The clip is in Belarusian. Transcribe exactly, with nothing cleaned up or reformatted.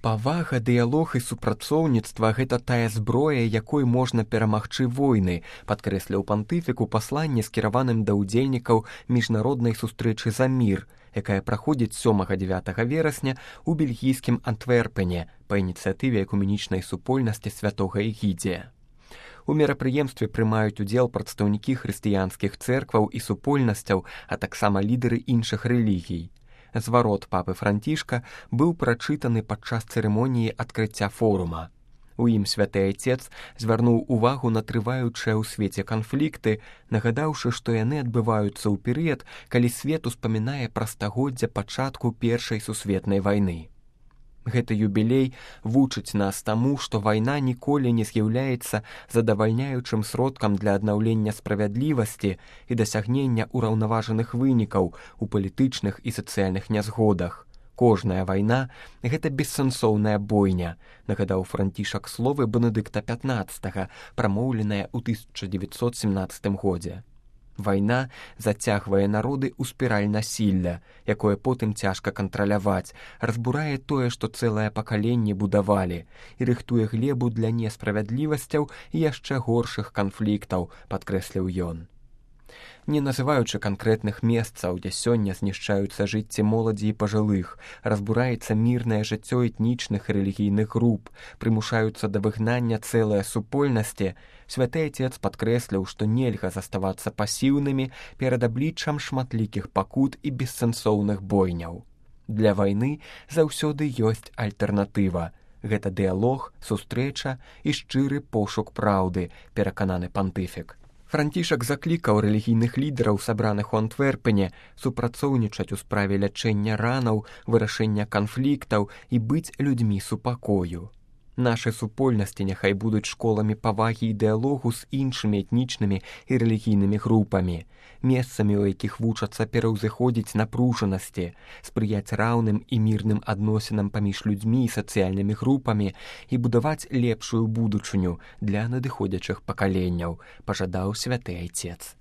Павага, дыялог і супрацоўніцтва – гэта тая зброя, якой можна перамагчы войны, падкрэсліў пантыфік у пасланні, скіраваным да ўдзельнікаў міжнароднай сустрэчы за мір, якая праходзіць сёмага-дзевятага верасня ў бельгійскім Антверпене па ініцыятыве экуменічнай супольнасці святога Эгідзія. У мерапрыемстве прымаюць удзел прадстаўнікі хрысціянскіх цэркваў і супольнасцяў, а таксама лідары іншых рэлігій. Зварот папы Францішка быў прачытаны падчас цырымоніі адкрыцця форума. У ім святы айцец звярнуў увагу на трываючыя ў свеце канфлікты, нагадаўшы, што яны адбываюцца ў перыяд, калі свет успамінае пра стагоддзя пачатку Першай сусветнай вайны. Гэты юбілей вучыць нас таму, што вайна ніколі не з'яўляецца задавальняючым сродкам для аднаўлення справядлівасці і дасягнення ўраўнаважаных вынікаў у палітычных і сацыяльных нязгодах. Кожная вайна – гэта бессэнсоўная бойня, нагадаў Францішак словы Бенедыкта пятнаццатага, прамоўленыя ў тысяча дзевяцьсот семнаццатым годзе. Вайна зацягвае народы ў спіраль насілля, якое потым цяжка кантраляваць, разбурае тое, што цэлае пакаленне будавалі, і рыхтуе глебу для несправядлівасцяў і яшчэ горшых канфліктаў, падкрэсліў ён. Не называючы канкрэтных месцаў, дзе сёння знішчаюцца жыцці моладзі і пажылых, разбураецца мірнае жыццё этнічных і рэлігійных груп, прымушаюцца да выгнання цэлыя супольнасці, святы айцец падкрэсліў, што нельга заставацца пасіўнымі перад абліччам шматлікіх пакут і бессэнсоўных бойняў. Для вайны заўсёды ёсць альтэрнатыва. Гэта дыялог, сустрэча і шчыры пошук праўды, перакананы пантыфік. Францішак заклікаў рэлігійных лідараў, сабраных у Антверпене, супрацоўнічаць у справе лячэння ранаў, вырашэння канфліктаў і быць людзьмі супакою. Нашы супольнасці няхай будуць школамі павагі і дыялогу з іншымі этнічнымі і рэлігійнымі групамі, месцамі, у якіх вучацца пераўзыходзіць напружанасці, спрыяць раўным і мірным адносінам паміж людзьмі і сацыяльнымі групамі і будаваць лепшую будучыню для надыходзячых пакаленняў, пажадаў святы айцец.